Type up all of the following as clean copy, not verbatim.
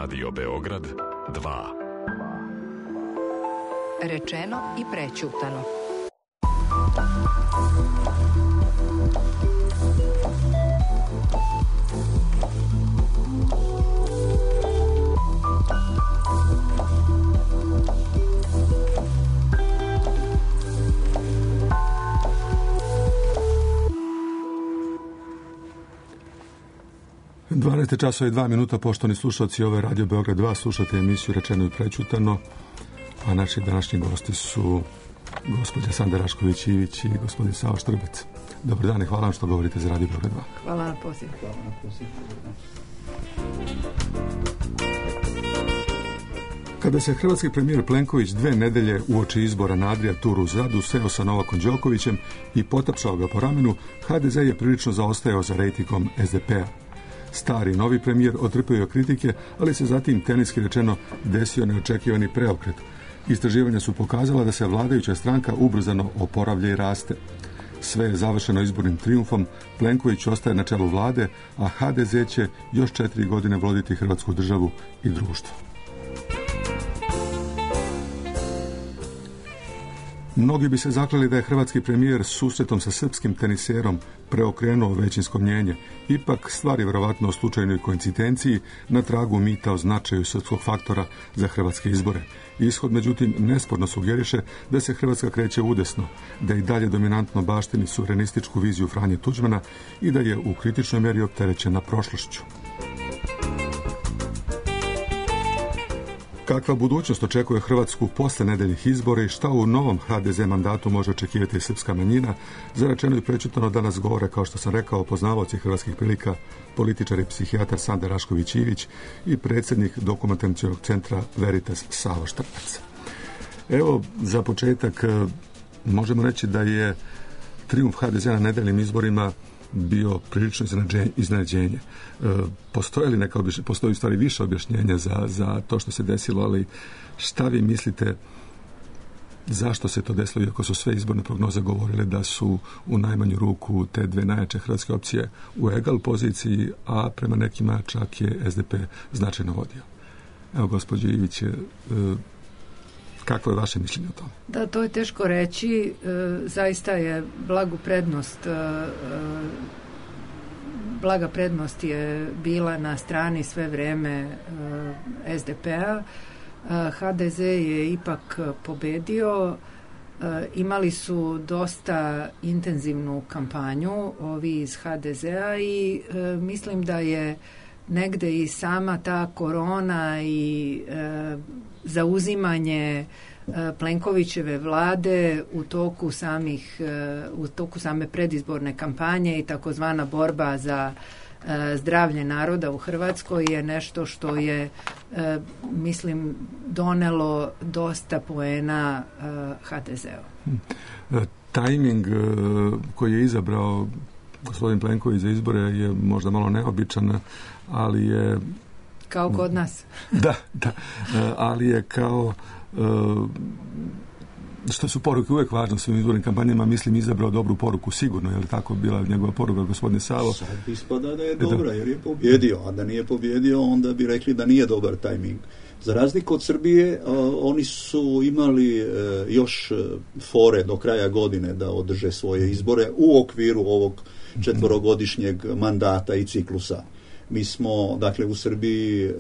Radio Beograd 2. Rečeno i prećutano. Časova i 2 minuta, poštovani slušalci ove Radio Beograd 2, slušate emisiju Rečeno i prećutano, a naši današnji gosti su gospođa Sanda Rašković-Ivić i gospodin Savo Štrbec. Dobar dan i hvala vam što govorite za Radio Beograd 2. Hvala na poziv. Kada se hrvatski premijer Plenković 2 nedelje uoči izbora na Adria-turu u Zadu seo sa Novakom Đokovićem i potapšao ga po ramenu, HDZ je prilično zaostajao za rejtingom SDP-a. Stari novi premijer otrpio kritike, ali se zatim, teniski rečeno, desio neočekivani preokret. Istraživanja su pokazala da se vladajuća stranka ubrzano oporavlja i raste. Sve je završeno izbornim trijumfom, Plenković ostaje na čelu vlade, a HDZ će još 4 godine voditi Hrvatsku državu i društvo. Mnogi bi se zakleli da je hrvatski premijer susretom sa srpskim teniserom preokrenuo većinsko mnjenje. Ipak, stvar je vjerovatno o slučajnoj koincidenciji na tragu mita o značaju srpskog faktora za hrvatske izbore. Ishod, međutim, nesporno sugeriše da se Hrvatska kreće udesno, da i dalje dominantno baštini suverenističku viziju Franje Tuđmana i da je u kritičnoj mjeri opterećena prošlošću. Kakva budućnost očekuje Hrvatsku posle nedeljnih izbora i šta u novom HDZ mandatu može očekivati srpska manjina, za Rečeno i prećutano danas govore, kao što sam rekao, poznavaoci hrvatskih prilika, političar i psihijatar Sanda Rašković-Ivić i predsjednik Dokumentacionog centra Veritas Savo Štrbec. Evo, za početak možemo reći da je trijumf HDZ na nedeljnim izborima bio prilično iznenađenje. Postoji u stvari više objašnjenja za to što se desilo, ali šta vi mislite zašto se to desilo, iako su sve izborne prognoze govorile da su u najmanju ruku te 2 najjače hrvatske opcije u egal poziciji, a prema nekima čak je SDP značajno vodio. Evo, gospođo Ivić, kakvo je vaše mišljenje o tom? Da, to je teško reći. Zaista je blaga prednost je bila na strani sve vrijeme SDP-a. HDZ je ipak pobedio. Imali su dosta intenzivnu kampanju ovi iz HDZ-a i mislim da je negde i sama ta korona i zauzimanje Plenkovićeve vlade u toku same predizborne kampanje i takozvana borba za zdravlje naroda u Hrvatskoj je nešto što je, mislim, donelo dosta poena HDZ-u. Tajming koji je izabrao gospodin Plenković za izbore je možda malo neobičan, ali je... Kao kod nas. Da, ali je kao... što su poruke uvijek važne u svim izbornim kampanjama, mislim, izabrao dobru poruku, sigurno, je li tako bila njegova poruka, gospodine Savo? Sad ispada da je dobra, jer je pobjedio, a da nije pobjedio, onda bi rekli da nije dobar tajming. Za razliku od Srbije, oni su imali još fore do kraja godine da održe svoje izbore u okviru ovog 4-godišnjeg mandata i ciklusa. Mi smo, dakle, u Srbiji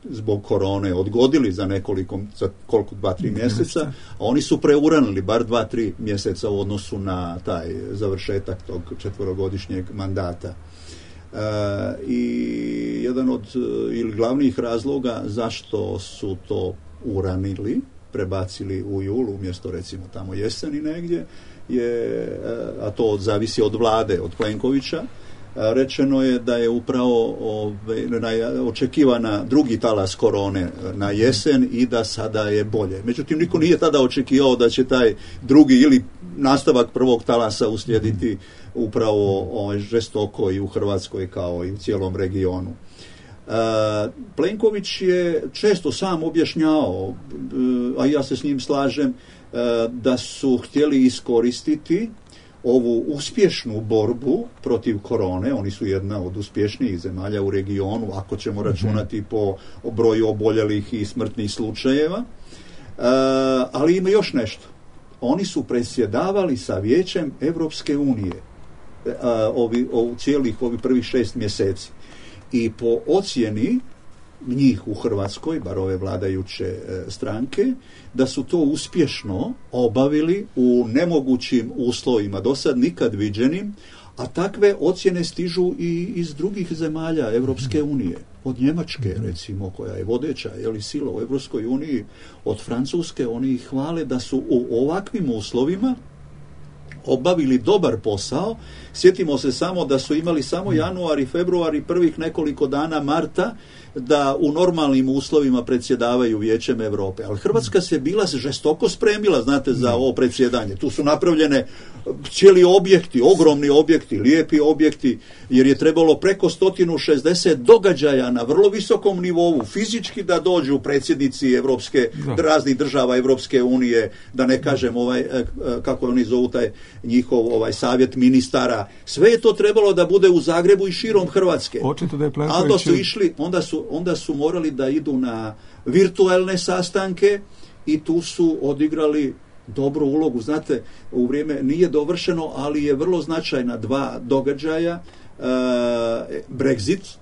zbog korone odgodili za 2-3 mjeseca, a oni su preuranili bar 2-3 mjeseca u odnosu na taj završetak tog 4-godišnjeg mandata. I jedan od ili glavnih razloga zašto su to uranili, prebacili u jul umjesto recimo tamo jeseni negdje, a to zavisi od vlade, od Plenkovića. Rečeno je da je upravo očekivana drugi talas korone na jesen i da sada je bolje. Međutim, niko nije tada očekivao da će taj drugi ili nastavak prvog talasa uslijediti upravo žestoko i u Hrvatskoj kao i u cijelom regionu. Plenković je često sam objašnjavao, a ja se s njim slažem, da su htjeli iskoristiti ovu uspješnu borbu protiv korone, oni su jedna od uspješnijih zemalja u regionu, ako ćemo računati po broju oboljelih i smrtnih slučajeva, ali ima još nešto. Oni su predsjedavali sa Vijećem Evropske unije ovih prvih 6 mjeseci. I po ocjeni njih u Hrvatskoj, bar ove vladajuće stranke, da su to uspješno obavili u nemogućim uslovima, do sad nikad viđenim, a takve ocjene stižu i iz drugih zemalja Evropske unije. Od Njemačke, recimo, koja je vodeća sila u Evropskoj uniji, od Francuske, oni ih hvale da su u ovakvim uslovima obavili dobar posao. Sjetimo se samo da su imali samo januar i februar i prvih nekoliko dana marta da u normalnim uslovima predsjedavaju Vijećem Europe. Ali Hrvatska se bila žestoko spremila, znate, za ovo predsjedanje. Tu su napravljene cijeli objekti, ogromni objekti, lijepi objekti, jer je trebalo preko 160 događaja na vrlo visokom nivou fizički da dođu predsjednici raznih država Evropske unije, da ne kažem kako oni zovu taj njihov savjet ministara. Sve je to trebalo da bude u Zagrebu i širom Hrvatske. Očito da je Plenković... Onda su išli, onda su morali da idu na virtualne sastanke i tu su odigrali dobru ulogu. Znate, u vrijeme nije dovršeno, ali je vrlo značajna 2 događaja. Brexit,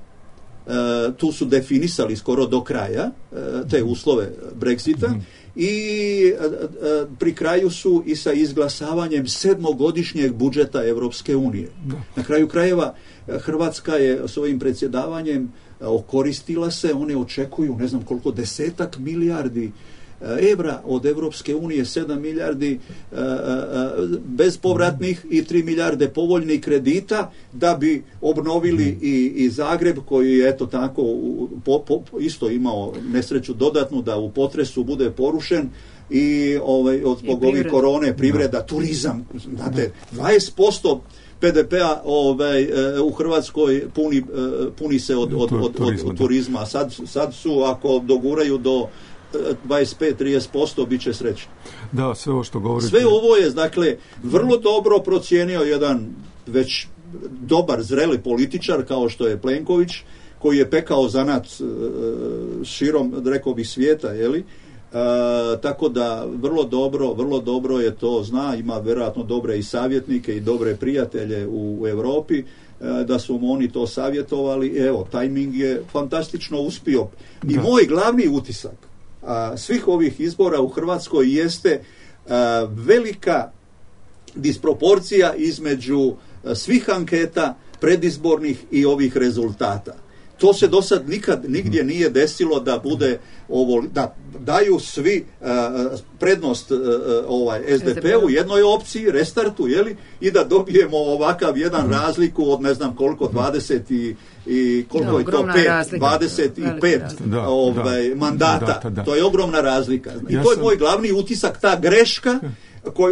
tu su definisali skoro do kraja te uslove Brexita i pri kraju su i sa izglasavanjem 7-godišnjeg budžeta Evropske unije. Na kraju krajeva Hrvatska je s ovim predsjedavanjem okoristila se, one očekuju ne znam koliko 10 milijardi evra od Evropske unije, 7 milijardi bezpovratnih i 3 milijarde povoljnih kredita da bi obnovili i Zagreb koji je eto tako isto imao nesreću dodatnu da u potresu bude porušen i zbog ovih korone, privreda, turizam, znate, 20% PDP-a u Hrvatskoj puni se od turizma. Sad su, ako doguraju do 25-30%, bit će srećni. Da, sve ovo što govorite... Sve ovo je, dakle, vrlo dobro procijenio jedan već dobar, zreli političar kao što je Plenković, koji je pekao zanat širom, rekao bih, svijeta, tako da vrlo dobro je to zna, ima vjerojatno dobre i savjetnike i dobre prijatelje u Europi, da su mu oni to savjetovali. Evo, tajming je fantastično uspio. I moj glavni utisak svih ovih izbora u Hrvatskoj jeste velika disproporcija između svih anketa predizbornih i ovih rezultata. To se do sad nikad nigdje nije desilo da bude da daju svi prednost SDP-u, jednoj opciji, restartu, i da dobijemo ovakav jedan razliku od ne znam koliko, 20 i koliko je to, 25 mandata. To je ogromna razlika. I to je moj glavni utisak, ta greška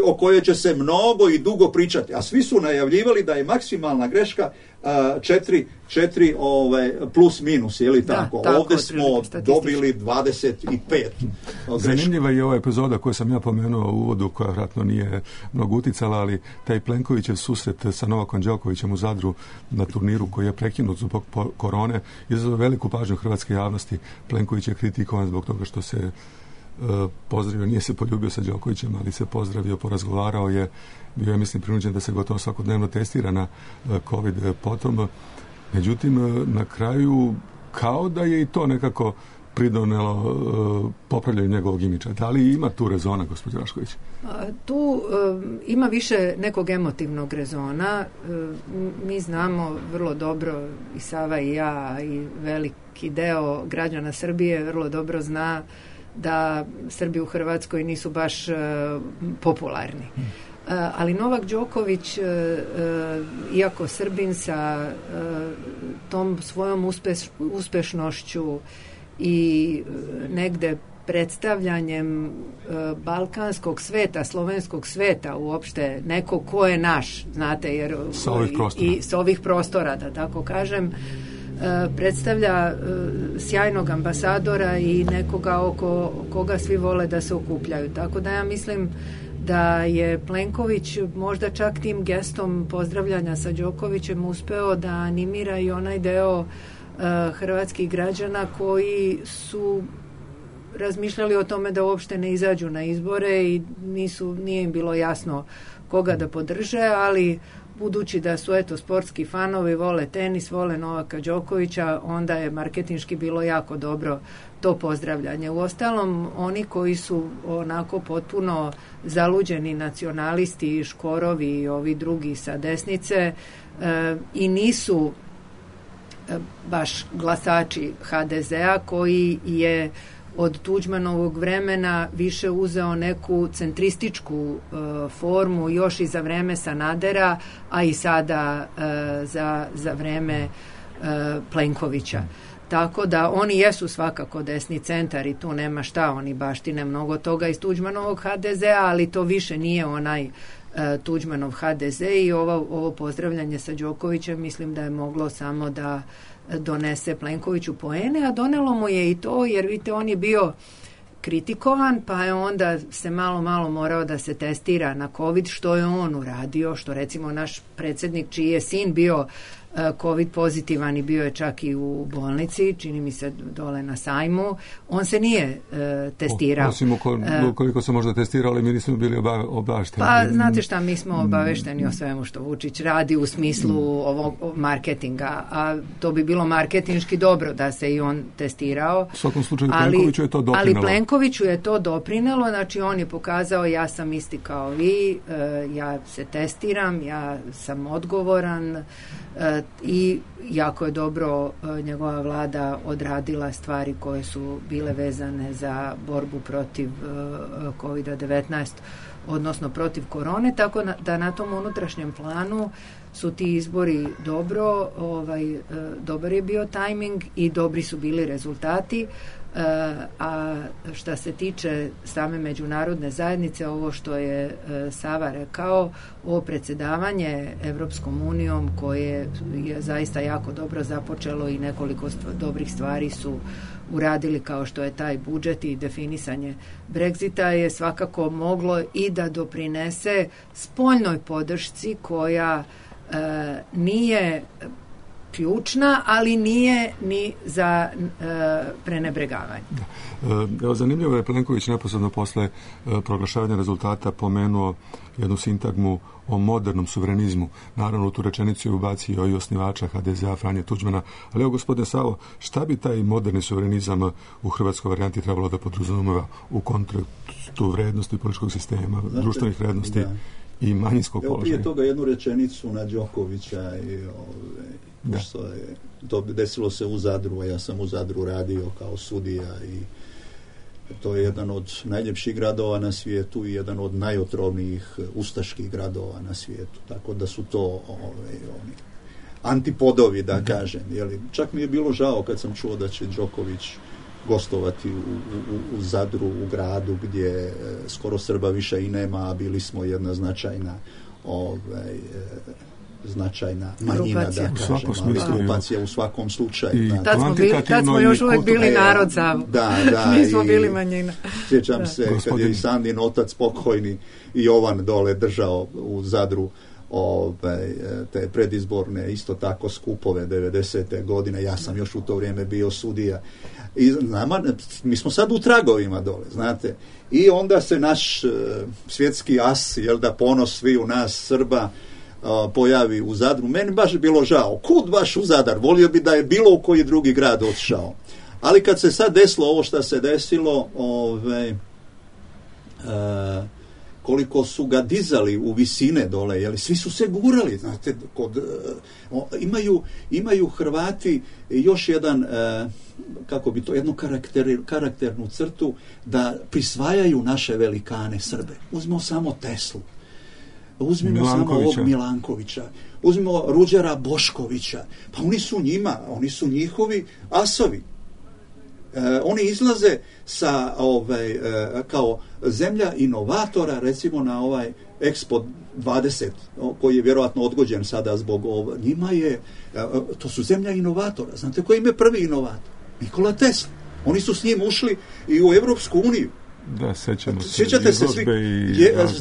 o kojoj će se mnogo i dugo pričati. A svi su najavljivali da je maksimalna greška 4 plus minus, tako? Ovdje smo dobili 25. Zanimljiva je ova epizoda koju sam ja pomenuo u uvodu, koja vjerojatno nije mnogo uticala, ali taj Plenkovićev susret sa Novakom Đokovićem u Zadru na turniru koji je prekinut zbog korone izazvao veliku pažnju hrvatske javnosti. Plenković je kritikovan zbog toga što se pozdravio, nije se poljubio sa Đokovićem, ali se pozdravio, porazgovarao je, bio je, mislim, prinuđen da se gotovo svakodnevno testira na COVID potom. Međutim, na kraju kao da je i to nekako pridonelo popravljanju njegovog imidža. Da li ima tu rezona, gospođo Rašković? Tu ima više nekog emotivnog rezona. Mi znamo vrlo dobro, i Sava i ja, i veliki deo građana Srbije vrlo dobro zna da Srbi u Hrvatskoj nisu baš popularni. Ali Novak Đoković, iako Srbin sa tom svojom uspešnošću i negde predstavljanjem balkanskog sveta, slovenskog sveta, uopšte neko ko je naš, znate, jer sa ovih prostora. I sa ovih prostora, da tako kažem, predstavlja sjajnog ambasadora i nekoga oko koga svi vole da se okupljaju. Tako da ja mislim da je Plenković možda čak tim gestom pozdravljanja sa Đokovićem uspeo da animira i onaj deo hrvatskih građana koji su razmišljali o tome da uopšte ne izađu na izbore i nije im bilo jasno koga da podrže, ali budući da su sportski fanovi, vole tenis, vole Novaka Đokovića, onda je marketinški bilo jako dobro to pozdravljanje. Uostalom, oni koji su onako potpuno zaluđeni nacionalisti, Škorovi i ovi drugi sa desnice i nisu baš glasači HDZ-a, koji je od Tuđmanovog vremena više uzeo neku centrističku formu još i za vreme Sanadera, a i sada za vreme Plenkovića. Tako da oni jesu svakako desni centar i tu nema šta, oni baštine mnogo toga iz Tuđmanovog HDZ-a, ali to više nije onaj Tuđmanov HDZ i ovo pozdravljanje sa Đokovićem mislim da je moglo samo da donese Plenkoviću poene, a donelo mu je i to, jer vidite, on je bio kritikovan, pa je onda se malo morao da se testira na COVID, što je on uradio, što recimo naš predsjednik, čiji je sin bio COVID pozitivan i bio je čak i u bolnici, čini mi se dole na sajmu, on se nije testirao. Osim koliko se možda testirali, mi nismo bili obavešteni. Pa znate šta, mi smo obavešteni o svemu što Vučić radi u smislu ovog marketinga, a to bi bilo marketinški dobro da se i on testirao. U svakom slučaju Plenkoviću je to doprinelo. Ali Plenkoviću je to doprinelo, znači on je pokazao ja sam isti kao vi, ja se testiram, ja sam odgovoran, i jako je dobro njegova vlada odradila stvari koje su bile vezane za borbu protiv COVID-19, odnosno protiv korone, tako da na tom unutrašnjem planu su ti izbori dobar je bio tajming i dobri su bili rezultati. A šta se tiče same međunarodne zajednice, ovo što je Sava rekao, ovo predsjedavanje Evropskom unijom koje je zaista jako dobro započelo i nekoliko dobrih stvari su uradili, kao što je taj budžet i definisanje Brexita, je svakako moglo i da doprinese spoljnoj podršci koja nije ključna, ali nije ni za prenebregavanje. Evo, zanimljivo je Plenković neposredno posle proglašavanja rezultata pomenuo jednu sintagmu o modernom suverenizmu. Naravno, u tu rečenicu je ubacio i osnivača HDZ-a Franje Tuđmana. Ali evo, gospodine Savo, šta bi taj moderni suverenizam u hrvatskoj varijanti trebalo da podrazumeva u kontekstu vrednosti političkog sistema, društvenih vrednosti i manjinskog položaja? Prije toga jednu rečenicu na Đokovića i što je to desilo se u Zadru, a ja sam u Zadru radio kao sudija i to je jedan od najljepših gradova na svijetu i jedan od najotrovnijih ustaških gradova na svijetu, tako da su to oni antipodovi, da kažem. Čak mi je bilo žao kad sam čuo da će Đoković gostovati u Zadru, u gradu gdje skoro Srba više i nema, a bili smo jedna značajna manjina, da kažem, ali grupacija u svakom slučaju. Tad smo još uvijek bili narod Savo. Mi smo bili manjina. Sjećam se kad je i Sandin otac pokojni i Jovan dole držao u Zadru te predizborne isto tako skupove 90. godine, ja sam još u to vrijeme bio sudija i mi smo sad u tragovima dole, znate, i onda se naš svjetski as, ponos svi u nas Srba pojavi u Zadru. Meni baš bilo žao, kud baš u Zadar, volio bi da je bilo u koji drugi grad otišao, ali kad se sad desilo ovo što se desilo, koliko su ga dizali u visine dole, svi su se gurali, znate, imaju Hrvati još jedan, jednu karakternu crtu da prisvajaju naše velikane Srbe. Uzmimo samo Teslu, uzmimo samo ovog Milankovića, uzmimo Ruđera Boškovića, pa oni su njihovi asovi. Oni izlaze sa kao zemlja inovatora, recimo Expo 20, koji je vjerojatno odgođen sada zbog ovo, njima je, to su zemlja inovatora. Znate koji im je prvi inovator? Nikola Tesla. Oni su s njim ušli i u Evropsku uniju. Da, sjećate se svi.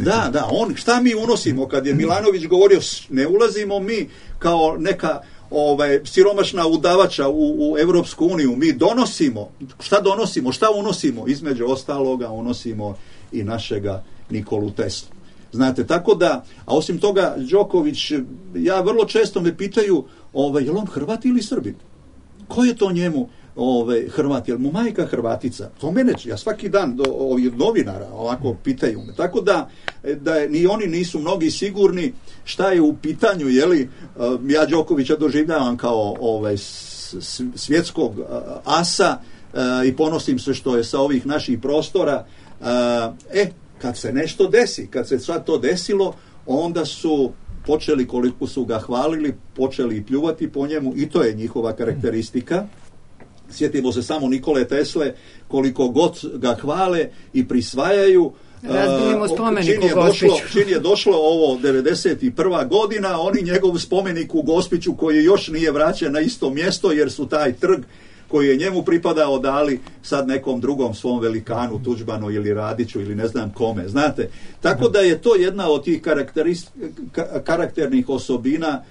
Da, šta mi unosimo? Kad je Milanović govorio, ne ulazimo mi kao neka siromašna udavača u Evropsku uniju. Mi donosimo, šta unosimo? Između ostaloga unosimo i našega Nikolu Teslu. Znate, tako da, a osim toga, Đoković, ja vrlo često me pitaju, je li on Hrvat ili Srbin? Ko je to njemu Hrvat? Je li mu majka Hrvatica? To mene, ja svaki dan do ovih novinara ovako pitaju me. Tako da ni oni nisu mnogi sigurni šta je u pitanju, jeli, ja Đokovića doživljavam kao svjetskog asa i ponosim se što je sa ovih naših prostora. Kad se nešto desi, kad se sad to desilo, onda su počeli, koliko su ga hvalili, počeli i pljuvati po njemu, i to je njihova karakteristika. Sjetimo se samo Nikole Tesle, koliko god ga hvale i prisvajaju. Razbijemo spomenik u Gospiću. Čim je došlo ovo 91. godina, oni njegov spomenik u Gospiću, koji još nije vraćen na isto mjesto, jer su taj trg koji je njemu pripadao dali sad nekom drugom svom velikanu, Tuđmanu ili Radiću ili ne znam kome, znate. Tako da je to jedna od tih karakternih osobina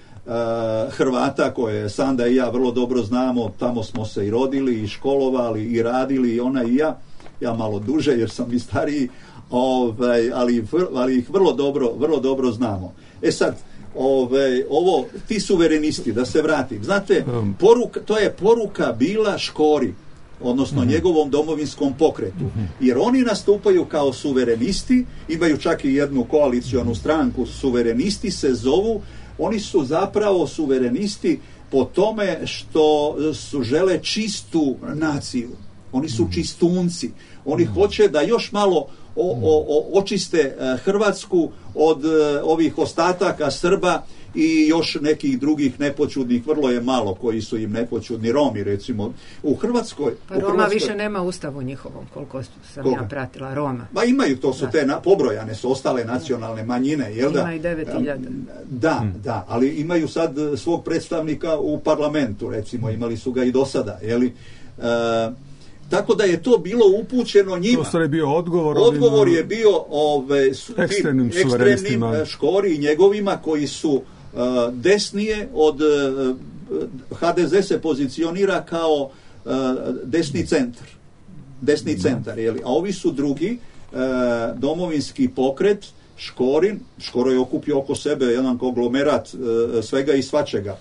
Hrvata, koje Sanda i ja vrlo dobro znamo. Tamo smo se i rodili i školovali i radili, i ona i ja malo duže jer sam i stariji, ali ih vrlo dobro znamo. Sad, ti suverenisti, da se vratim, znate, to je poruka bila Škori, odnosno njegovom domovinskom pokretu, jer oni nastupaju kao suverenisti, imaju čak i jednu koalicionu stranku, suverenisti se zovu. Oni su zapravo suverenisti po tome što su žele čistu naciju. Oni su čistunci. Oni hoće da još malo očiste Hrvatsku od ovih ostataka Srba i još nekih drugih nepoćudnih, vrlo je malo koji su im nepoćudni, Romi recimo. U Hrvatskoj... Roma više nema ustavu njihovom, koliko sam ja pratila, Roma. Ma imaju, to su te pobrojane, su ostale nacionalne manjine, jel da? Ima i 9.000. Da, ali imaju sad svog predstavnika u parlamentu, recimo, imali su ga i do sada, jeli? Tako da je to bilo upućeno njima. To je bio odgovor. Odgovor je bio ekstremnim Škori i njegovima koji su desnije od HDZ se pozicionira kao desni centar, jeli? A ovi su drugi, domovinski pokret, Škoro je okupio oko sebe jedan konglomerat svega i svačega.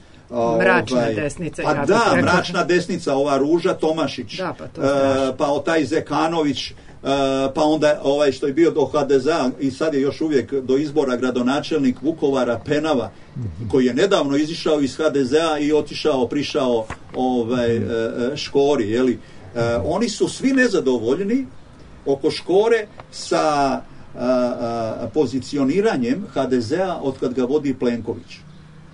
Mračna desnica. Mračna desnica, ova Ruža Tomašić, pa taj Zekanović, pa onda što je bio do HDZ-a i sad je još uvijek do izbora gradonačelnik Vukovara Penava, koji je nedavno izišao iz HDZ-a i prišao Škori, jeli? Oni su svi nezadovoljni oko Škore sa pozicioniranjem HDZ-a od kad ga vodi Plenković.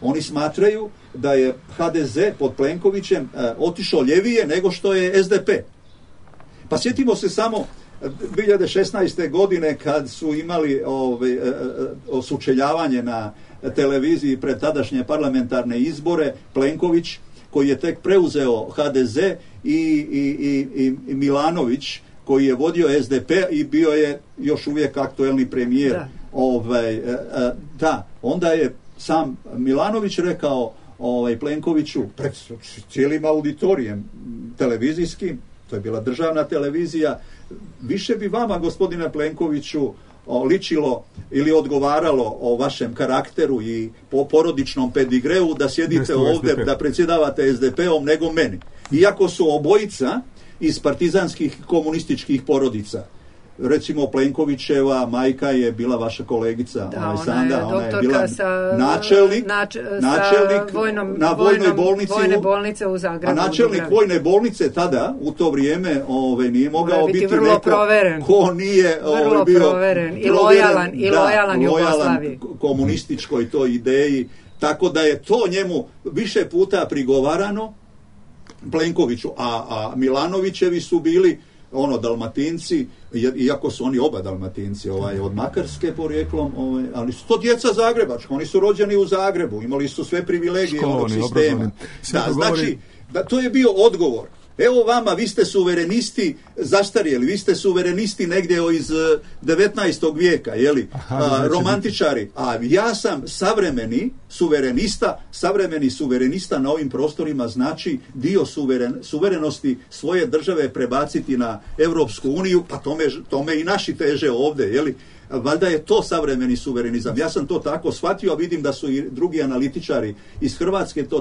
Oni smatraju da je HDZ pod Plenkovićem otišao ljevije nego što je SDP. Pa sjetimo se samo 2016. godine kad su imali sučeljavanje na televiziji pred tadašnje parlamentarne izbore, Plenković, koji je tek preuzeo HDZ, i Milanović, koji je vodio SDP i bio je još uvijek aktuelni premijer. Onda je sam Milanović rekao Plenkoviću pred cijelim auditorijem televizijskim, to je bila državna televizija, više bi vama, gospodine Plenkoviću, ličilo ili odgovaralo o vašem karakteru i po porodičnom pedigreu da sjedite ovdje, da predsjedavate SDP-om, nego meni. Iako su obojica iz partizanskih komunističkih porodica. Recimo Plenkovićeva majka je bila vaša kolegica, Sanda, ona je bila načelnik na vojnoj bolnici u Zagrebu. A načelnik vojne bolnice tada, u to vrijeme, nije mogao biti neko proveren. Ko nije bio proveren i lojalan Jugoslaviji, komunističkoj toj ideji. Tako da je to njemu više puta prigovarano, Plenkoviću, a Milanovićevi su bili Dalmatinci, iako su oni oba Dalmatinci, od Makarske porijeklom, ali su to djeca zagrebačka, oni su rođeni u Zagrebu, imali su sve privilegije onog sistema. Znači, to je bio odgovor. Evo vama, vi ste suverenisti zastarjeli, vi ste suverenisti negdje iz 19. vijeka, romantičari, a ja sam savremeni suverenista na ovim prostorima, znači dio suverenosti svoje države prebaciti na Europsku uniju, pa tome i naši teže ovdje, valjda je to savremeni suverenizam. Ja sam to tako shvatio, a vidim da su i drugi analitičari iz Hrvatske to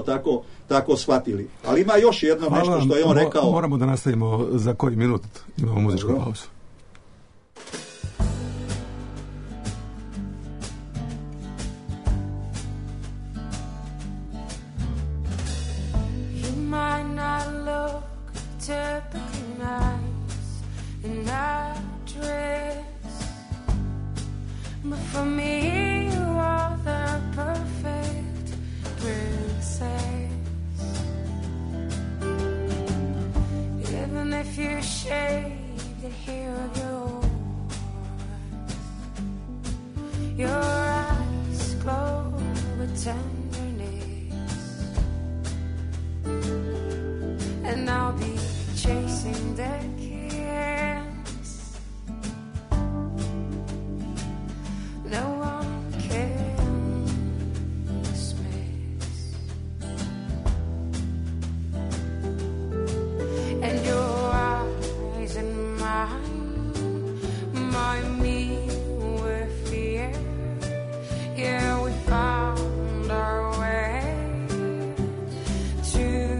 tako shvatili. Ali ima još jedno nešto što je on rekao. Moramo da nastavimo za koji minut, imamo muzičku pauzu. But for me, you are the perfect princess. Even if you shave the hair of your eyes glow with tenderness, and I'll be chasing the no one can dismiss. And your eyes and mine remind me with fear. Yeah, we found our way to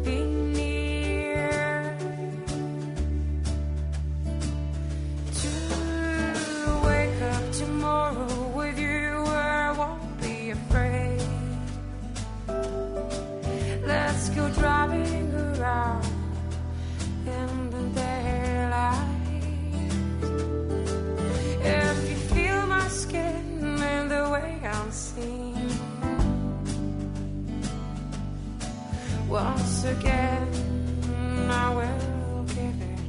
be near, to wake up tomorrow. Let's go driving around in the daylight. If you feel my skin and the way I'm seen, once again I will give it.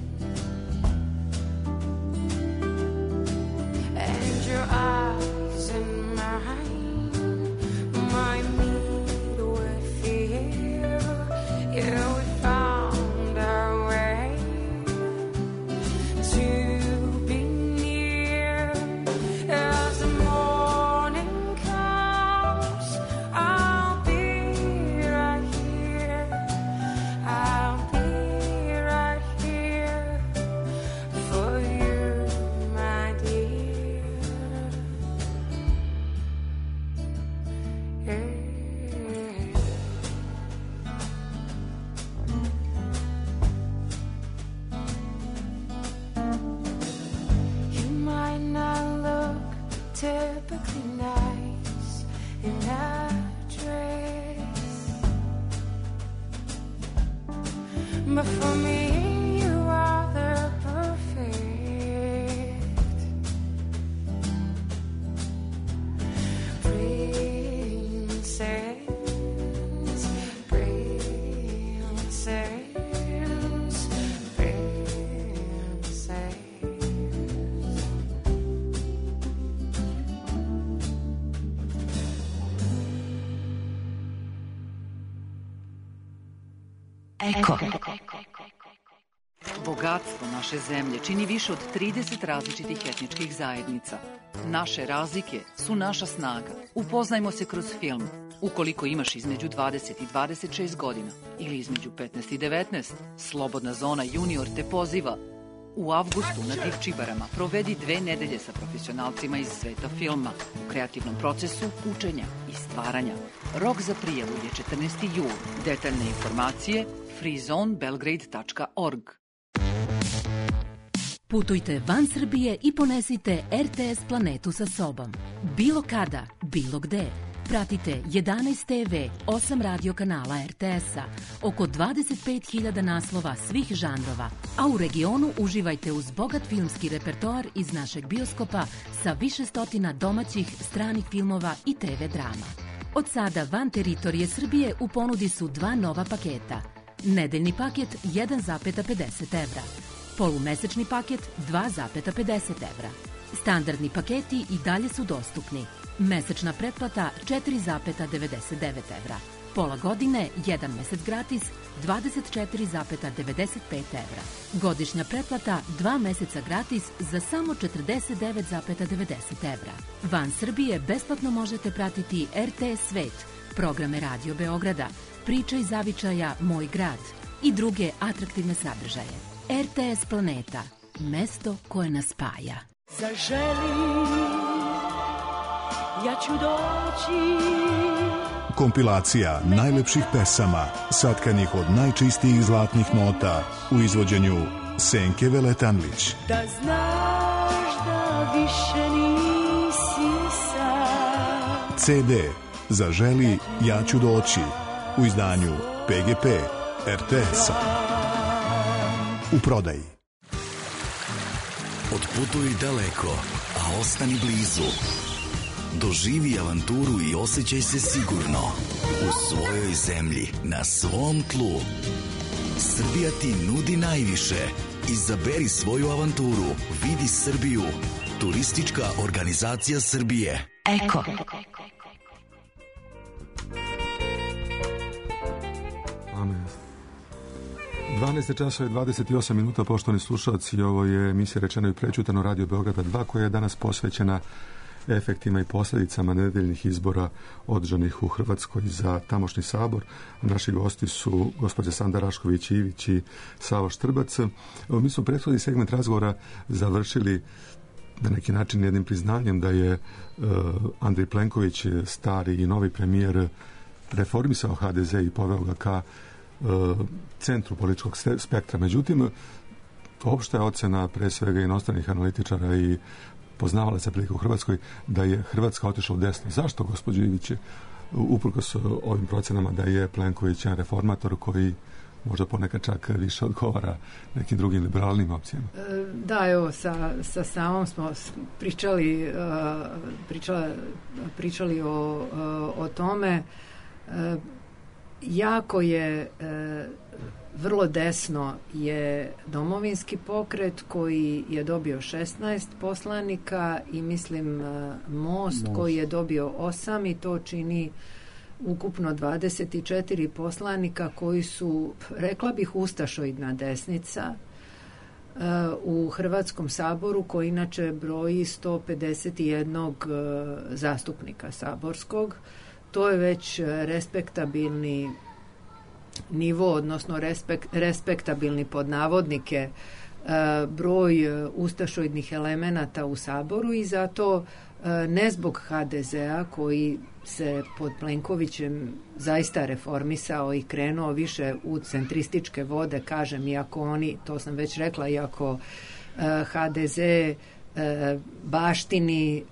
And your eyes and mine remind me with fear. Yeah, we found our way to be near. As the morning comes, I'll be right here. I'll be right here for you, my dear. Yeah. Typically nice in that dress, but for me you are the perfect princess. Eko. Bogatstvo naše zemlje čini više od 30 različitih etničkih zajednica. Naše razlike su naša snaga. Upoznajmo se kroz film. Ukoliko imaš između 20 i 26 godina ili između 15 i 19, Slobodna zona junior te poziva. U avgustu na Divčibarama provedi 2 nedelje sa profesionalcima iz sveta filma u kreativnom procesu učenja i stvaranja. Rok za prijavu je 14. jul. Detaljne informacije freezonebelgrade.org. Putujte van Srbije i ponesite RTS planetu sa sobom. Bilo kada, bilo gde. Pratite 11 TV, 8 radio kanala RTS-a, oko 25.000 naslova svih žanrova, a u regionu uživajte uz bogat filmski repertoar iz našeg bioskopa sa više stotina domaćih, stranih filmova i TV drama. Od sada van teritorije Srbije u ponudi su 2 nova paketa. Nedeljni paket 1,50 evra. Polumesečni paket 2,50 evra. Standardni paketi i dalje su dostupni. Mesečna pretplata 4,99 evra. Pola godine, 1 mesec gratis, 24,95 evra. Godišnja pretplata 2 meseca gratis za samo 49,90 evra. Van Srbije besplatno možete pratiti RTS Svet, programe Radio Beograda, Priča iz zavičaja Moj grad i druge atraktivne sadržaje. RTS Planeta, mesto koje nas spaja. Zaželi, ja ću doći. Kompilacija najlepših pesama, satkanih od najčistijih zlatnih nota u izvođenju Senke Veletanlić. Da znaš da više nisi sam. CD Zaželi, ja ću doći u izdanju PGP RTS-a. U prodaji. Otputuj daleko, a ostani blizu. Doživi avanturu i osjećaj se sigurno u svojoj zemlji, na svom tlu. Srbija ti nudi najviše. Izaberi svoju avanturu. Vidi Srbiju. Turistička organizacija Srbije. Eko. Amen. 12 časova i 28 minuta, poštovani slušalci, ovo je emisija Rečeno i prečutano Radio Beograda 2, koja je danas posvećena efektima i posljedicama nedeljnih izbora održanih u Hrvatskoj za tamošnji sabor. Naši gosti su gospođa Sanda Rašković-Ivić i Savo Štrbac. Mi smo prethodni segment razgovora završili na neki način jednim priznanjem da je Andrej Plenković, stari i novi premijer, reformisao HDZ i poveo ga ka centru političkog spektra. Međutim, opšta je ocena pre svega inostranih analitičara i poznavalaca prilike u Hrvatskoj da je Hrvatska otišla u desno. Zašto, gospođo Ivić, uprkos ovim procenama da je Plenković jedan reformator koji možda ponekad čak više odgovara nekim drugim liberalnim opcijama? Da, evo, sa Savom smo pričali o tome. Jako je vrlo desno je Domovinski pokret koji je dobio 16 poslanika i mislim Most koji je dobio 8 i to čini ukupno 24 poslanika koji su, rekla bih, ustašoidna desnica u Hrvatskom saboru, koji inače broji 151 zastupnika saborskog. To je već respektabilni nivo, odnosno respektabilni pod navodnike broj ustašoidnih elemenata u saboru i zato ne zbog HDZ-a koji se pod Plenkovićem zaista reformisao i krenuo više u centrističke vode, kažem, iako oni, to sam već rekla, iako HDZ baštini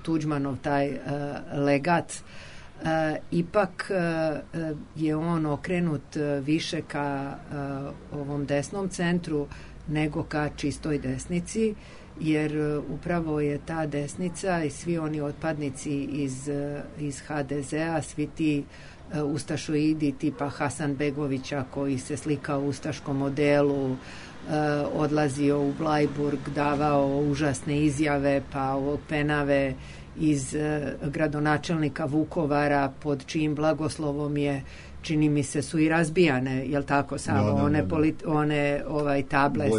Tuđmanov taj legat, ipak je on okrenut više ka ovom desnom centru nego ka čistoj desnici, jer upravo je ta desnica i svi oni otpadnici iz HDZ-a, svi ti ustašoidi tipa Hasanbegovića koji se slikao u ustaškom modelu, odlazio u Blajburg, davao užasne izjave, pa ovog Penave iz gradonačelnika Vukovara, pod čijim blagoslovom je, čini mi se, su i razbijane, jel tako, Savo, one table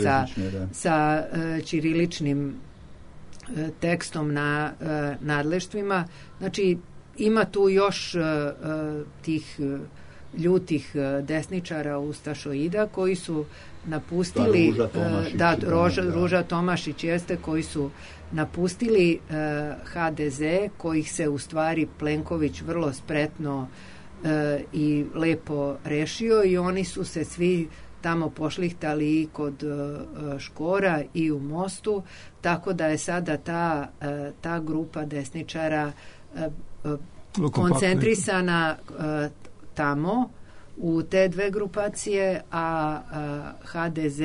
sa ćiriličnim tekstom na nadleštvima. Znači, ima tu još tih ljutih desničara ustašoida koji su napustili Ruža Tomašić jeste, koji su napustili HDZ, kojih se u stvari Plenković vrlo spretno i lepo rešio i oni su se svi tamo pošlihtali i kod Škora i u Mostu, tako da je sada ta grupa desničara koncentrisana tamo u te dve grupacije, a HDZ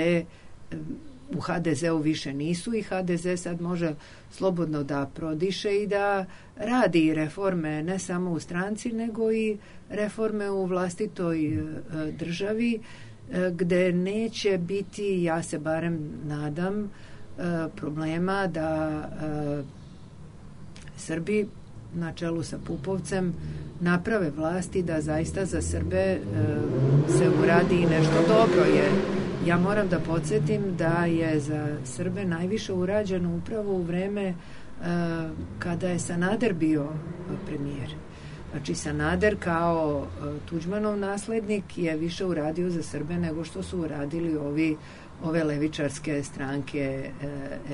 u HDZ-u više nisu i HDZ sad može slobodno da prodiše i da radi reforme ne samo u stranci nego i reforme u vlastitoj državi gde neće biti, ja se barem nadam, problema da Srbi na čelu sa Pupovcem naprave vlasti da zaista za Srbe se uradi i nešto dobro, jer ja moram da podsjetim da je za Srbe najviše urađeno upravo u vreme kada je Sanader bio premijer. Znači Sanader kao Tuđmanov naslednik je više uradio za Srbe nego što su uradili ove levičarske stranke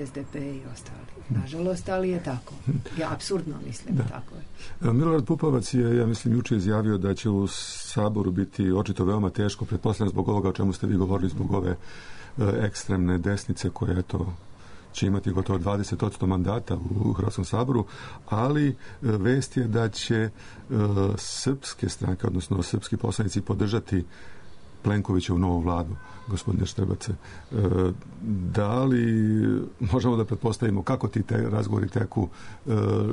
SDP i ostali. Nažalost, ali je tako. Ja apsurdno mislim, tako je. Milorad Pupovac je, ja mislim, juče izjavio da će u Saboru biti očito veoma teško, pretpostavljam zbog ovoga o čemu ste vi govorili, zbog ove ekstremne desnice koje, eto, će imati gotovo 20% mandata u Hrvatskom saboru, ali vest je da će srpske stranke, odnosno srpski poslanici podržati Plenkovića u novu vladu, gospodine Štrbace. Da li možemo da pretpostavimo kako ti razgovori teku,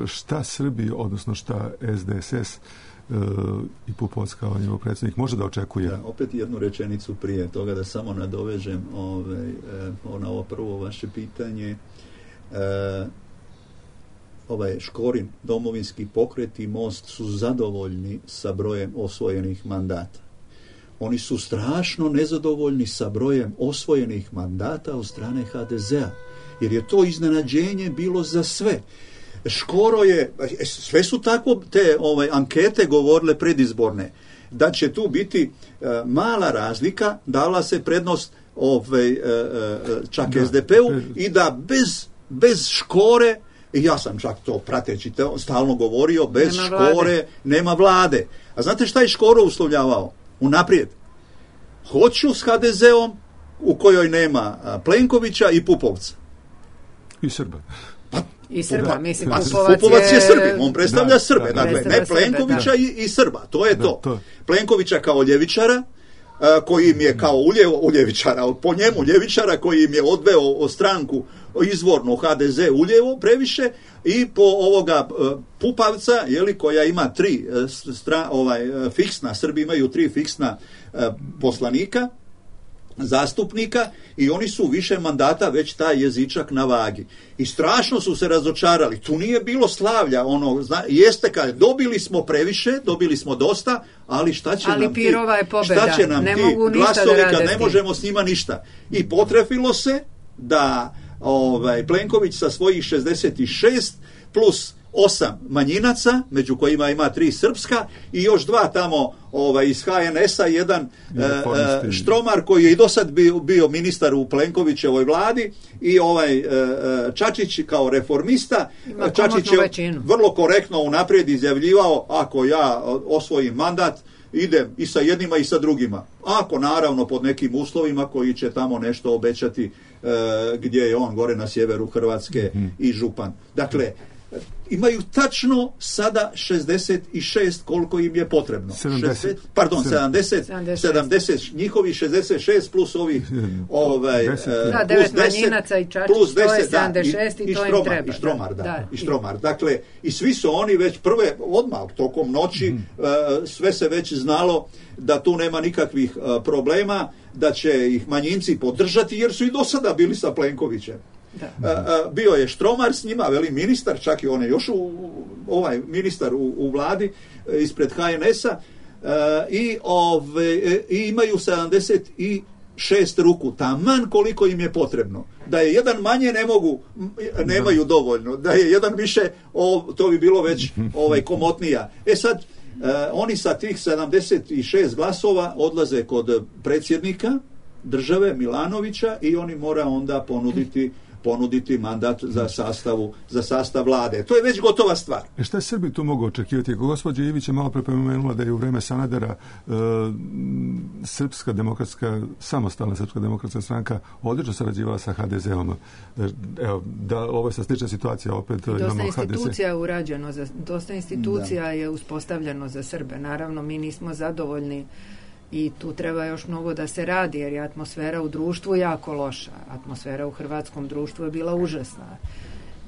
šta Srbi, odnosno šta SDSS i Pupovac kao njegov predsjednik može da očekuje? Da, opet jednu rečenicu prije toga da samo nadovežem na ovo prvo vaše pitanje. Škorin, Domovinski pokret i Most su zadovoljni sa brojem osvojenih mandata. Oni su strašno nezadovoljni sa brojem osvojenih mandata od strane HDZ-a, jer je to iznenađenje bilo za sve. Škoro je, sve su tako te ankete govorile predizborne, da će tu biti mala razlika, dala se prednost čak SDP-u i da bez Škore, i ja sam čak to prateći stalno govorio, bez Škore nema vlade. A znate šta je Škoro uslovljavao? Unaprijed. Hoću s HDZ-om u kojoj nema Plenkovića i Pupovca. I Srba. I Srba, mislim, Pupovac je Srbin, on predstavlja Srbe, dakle, ne Plenkovića i Srba, to je to. Plenkovića kao ljevičara, koji im je kao uljevičara, po njemu ljevičara koji im je odveo stranku izvorno HDZ uljevo previše, i po ovoga Pupavca, koja ima fiksna, Srbi imaju 3 fiksna poslanika, zastupnika, i oni su više mandata već taj jezičak na vagi. I strašno su se razočarali. Tu nije bilo slavlja. Jeste kad dobili smo previše, dobili smo dosta, ali šta će nam ti glasovi kad ne možemo s njima ništa. I potrefilo se da Plenković sa svojih 66 plus 8 manjinaca, među kojima ima 3 srpska i još 2 tamo iz HNS-a, jedan Štromar koji je i do sad bio ministar u Plenkovićevoj vladi, i Čačić kao reformista. Čačić je vrlo korektno unaprijed izjavljivao, ako ja osvojim mandat, idem i sa jednima i sa drugima. Ako naravno pod nekim uslovima koji će tamo nešto obećati, gdje je on gore na sjeveru Hrvatske i župan. Dakle, imaju tačno sada 66 koliko im je potrebno. 70, njihovi 66 plus ovih plus 9 manjinaca i Čačić, to je 76 i to im treba. I Štromar. Dakle, i svi su oni već odmah tokom noći, sve se već znalo da tu nema nikakvih problema, da će ih manjinci podržati, jer su i do sada bili sa Plenkovićem. Bio je Štromar s njima, ministar, čak i on je još ministar u vladi ispred HNS-a, i imaju 76 ruku, taman koliko im je potrebno. Da je jedan manje nemaju dovoljno, da je jedan više, to bi bilo već komotnija. Sad, oni sa tih 76 glasova odlaze kod predsjednika države Milanovića i oni mora onda ponuditi mandat za sastav vlade. To je već gotova stvar. Šta Srbi tu mogu očekivati? Gospođa Ivić je malo prepomenula da je u vreme Sanadera samostalna Srpska demokratska stranka odlično sarađivala sa HDZ-om. Evo, da ovo je sa slična situacija, opet imamo HDZ. Dosta institucija je uspostavljeno za Srbe. Naravno, mi nismo zadovoljni I tu treba još mnogo da se radi, jer je atmosfera u društvu jako loša. Atmosfera u hrvatskom društvu je bila užasna.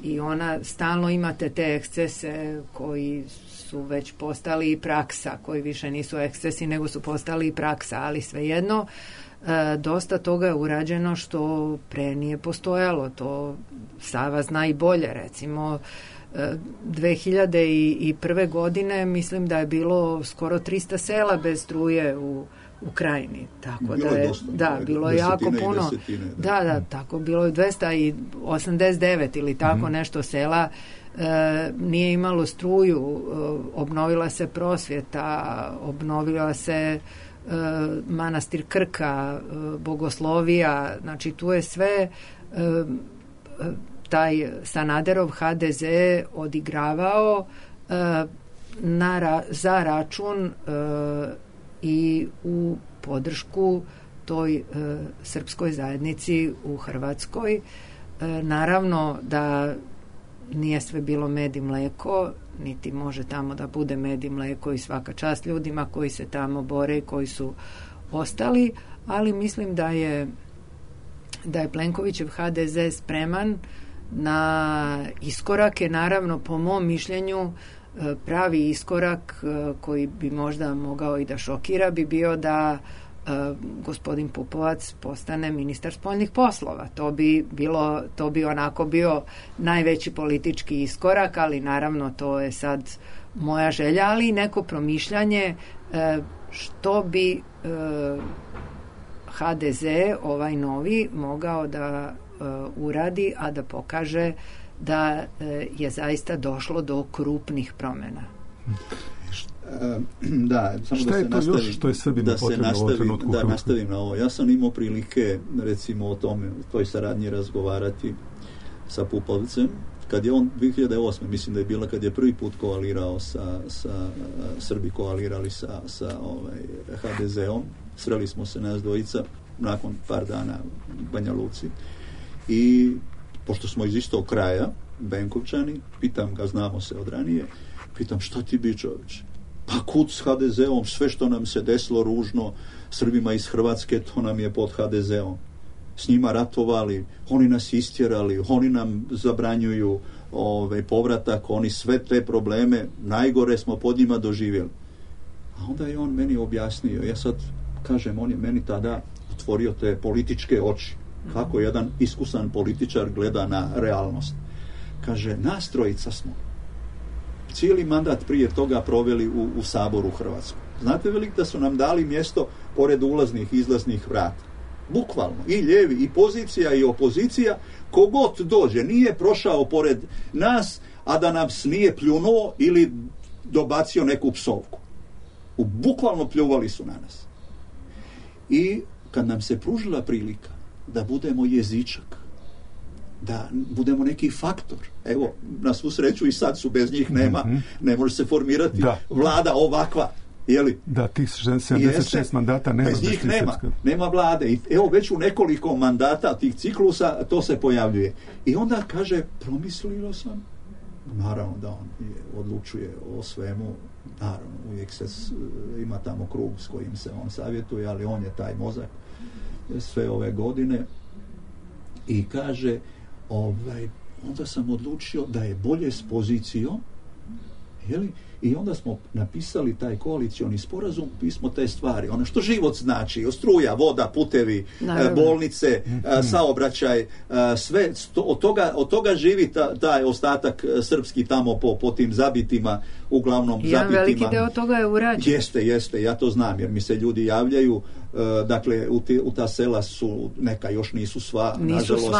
I ona, stalno imate te ekscese koji su već postali i praksa, koji više nisu ekscesi, nego su postali i praksa, ali svejedno, dosta toga je urađeno što pre nije postojalo. To Sava zna i bolje. Recimo, 2001. godine mislim da je bilo skoro 300 sela bez struje u Krajini. Tako bilo da je dosta, bilo je jako puno. Da, tako bilo je 289 ili tako nešto sela nije imalo struju, obnovila se prosvjeta, obnovila se manastir Krka, bogoslovija, znači tu je sve taj Sanaderov HDZ odigravao za račun i u podršku toj srpskoj zajednici u Hrvatskoj. Naravno da nije sve bilo med i mleko, niti može tamo da bude med i mleko, i svaka čast ljudima koji se tamo bore i koji su ostali, ali mislim da je Plenkovićev HDZ spreman na iskorake. Naravno, po mom mišljenju, pravi iskorak koji bi možda mogao i da šokira bi bio da gospodin Pupovac postane ministar spoljnih poslova. To bi onako bio najveći politički iskorak, ali naravno to je sad moja želja, ali i neko promišljanje što bi HDZ, ovaj novi, mogao da uradi, a da pokaže da je zaista došlo do krupnih promjena. Da, samo šta je to još što je Srbima potrebno u ovom trenutku? Da nastavim na ovo. Ja sam imao prilike, recimo, o tome, toj saradnji razgovarati sa Pupovcem, kad je on 2008. mislim da je bila kad je prvi put koalirao sa Srbi koalirali sa HDZ-om. Sreli smo se nas dvojica nakon par dana u Banja Luci i pošto smo iz istog kraja, Benkovčani, pitam ga, znamo se od ranije, pitam, šta ti bi, čovječe? Pa kud s HDZ-om, sve što nam se desilo ružno Srbima iz Hrvatske, to nam je pod HDZ-om. S njima ratovali, oni nas istjerali, oni nam zabranjuju povratak, oni sve te probleme, najgore smo pod njima doživjeli. A onda je on meni objasnio, ja sad kažem, on je meni tada otvorio te političke oči, kako jedan iskusan političar gleda na realnost. Kaže, nas trojica smo cijeli mandat prije toga proveli u Saboru u Hrvatskoj. Znate velik da su nam dali mjesto pored ulaznih i izlaznih vrata. Bukvalno. I lijevi, i pozicija, i opozicija. Kogod dođe, nije prošao pored nas, a da nas nije pljunuo ili dobacio neku psovku. Bukvalno pljuvali su na nas. I kad nam se pružila prilika da budemo jezičak, da budemo neki faktor. Evo, na svu sreću i sad su, bez njih nema, ne može se formirati vlada ovakva. Jeli? Da, tih 76 mandata nema. Bez njih nema vlade. I evo, već u nekoliko mandata tih ciklusa to se pojavljuje. I onda kaže, promislio sam, naravno da on odlučuje o svemu, naravno, uvijek se ima tamo krug s kojim se on savjetuje, ali on je taj mozak sve ove godine i kaže, onda sam odlučio da je bolje s pozicijom, jeli? I onda smo napisali taj koalicioni sporazum, pismo te stvari, ono što život znači, struja, voda, putevi, bolnice, saobraćaj, sve, od toga živi taj ostatak srpski tamo po tim zabitima, uglavnom zabitima. Jedan veliki deo toga je urađen. Jeste, ja to znam, jer mi se ljudi javljaju, dakle, u ta sela su, neka još nisu sva, nažalost,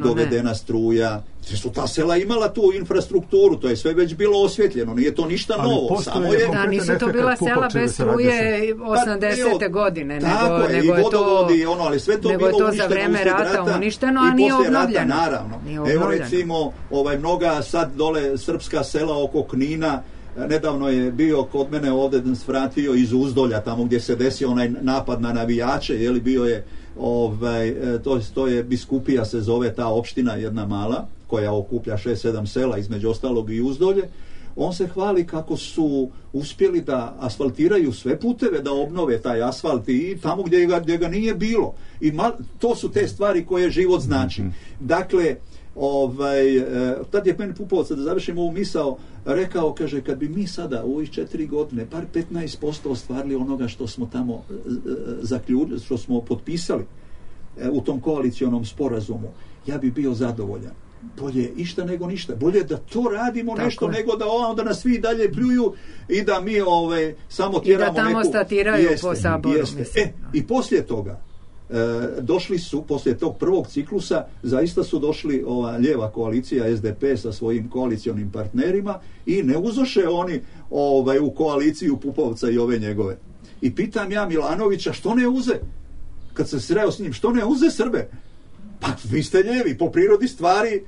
dovedena struja. Su ta sela imala tu infrastrukturu, to je sve već bilo osvjetljeno, nije to ništa novo. Samo je... Da, nisu to bila sela bez struje 80. godine, tako nego je, i vodovodi, ali sve to bilo uništeno za vreme rata uništeno, a nije obnovljeno. Naravno. Evo recimo, mnoga sad dole srpska sela oko Knina, nedavno je bio kod mene ovdje svratio iz Uzdolja, tamo gdje se desio onaj napad na navijače, bio je, to je Biskupija se zove ta opština, jedna mala, koja okuplja 6-7 sela, između ostalog i Uzdolje. on se hvali kako su uspjeli da asfaltiraju sve puteve, da obnove taj asfalt i tamo gdje ga nije bilo. I to su te stvari koje život znači. Dakle, tad je meni Pupovac, da završim ovu misao, rekao, kaže, kad bi mi sada u ovih 4 godine bar 15% ostvarili onoga što smo tamo zaključili, što smo potpisali u tom koalicionom sporazumu, ja bi bio zadovoljan. Bolje išta nego ništa. Bolje da to radimo tako nešto nego da onda nas svi dalje pljuju i da mi samo tjeramo neku... I da tamo statiraju po saboru. I poslije toga došli su, poslije tog prvog ciklusa, zaista su došli ova lijeva koalicija SDP sa svojim koalicionim partnerima i ne uzoše oni u koaliciju Pupovca i ove njegove. I pitam ja Milanovića, što ne uze? Kad sam sreo s njim, što ne uze Srbe? Pa vi ste ljevi, po prirodi stvari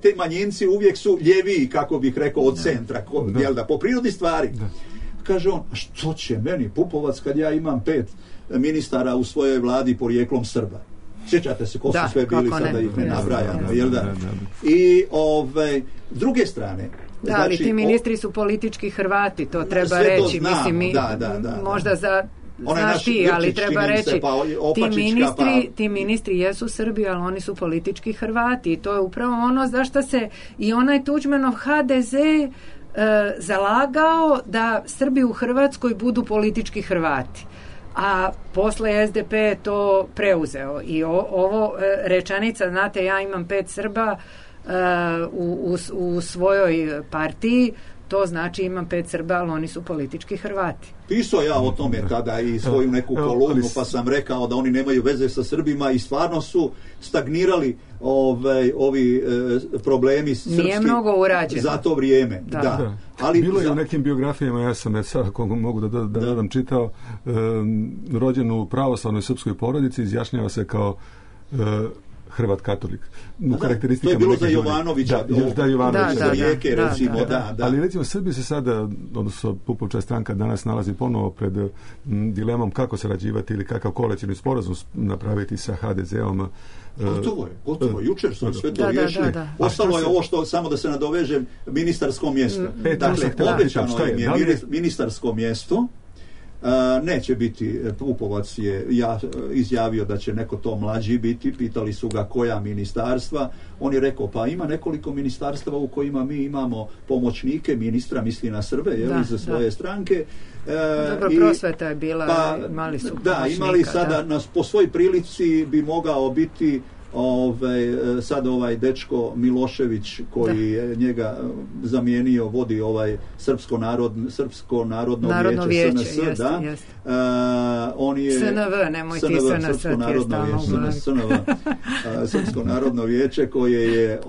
te manjinci uvijek su ljeviji, kako bih rekao, od centra, jel da, po prirodi stvari. Kaže on, a što će meni Pupovac kad ja imam 5 ministara u svojoj vladi porijeklom Srba? Sjećate se ko su sve bili, sada ih ne nabrajamo, jel da? I s druge strane, da, znači, ali ti ministri su politički Hrvati, to treba reći. To znamo, mislim, možda za... Znaš ti, ali treba reći, ti ministri jesu Srbi, ali oni su politički Hrvati i to je upravo ono zašto se i onaj Tuđmanov HDZ zalagao da Srbi u Hrvatskoj budu politički Hrvati. A posle SDP je to preuzeo. I ovo rečenica, znate, ja imam 5 Srba u svojoj partiji, to znači imam 5 Srba, ali oni su politički Hrvati. Pisao ja o tome tada i svoju neku kolumnu, pa sam rekao da oni nemaju veze sa Srbima i stvarno su stagnirali ovi problemi srpski. Nije mnogo urađeno za to vrijeme. Da. Ali bilo je u nekim biografijama, ja sam sad, ako mogu da dodam, čitao, rođen u pravoslavnoj srpskoj porodici, izjašnjava se kao Hrvat katolik. To je bilo za Jovanovića, za Rijeke, recimo. Ali recimo Srbi se sada, odnosno Pupovčeva stranka danas nalazi ponovo pred dilemom kako sarađivati ili kakav koalicijni sporazum napraviti sa HDZ-om. Gotovo. Jučer su sve to riješili. Ostalo je ovo što, samo da se nadovežem, ministarsko mjesto. Dakle, obećano je ministarsko mjesto. Neće biti, Pupovac je izjavio da će neko to mlađi biti, pitali su ga koja ministarstva, on je rekao pa ima nekoliko ministarstva u kojima mi imamo pomoćnike ministra, misli na Srbe, za svoje stranke. Dobro, prosveta je bila, imali su pomoćnika. Da, imali sada, po svoj prilici bi mogao biti sad dečko Milošević koji je njega zamijenio, vodi Srpsko narodno vijeće SNS, da. On je SNV, nemoj ti SNS, Srpsko narodno vijeće koje je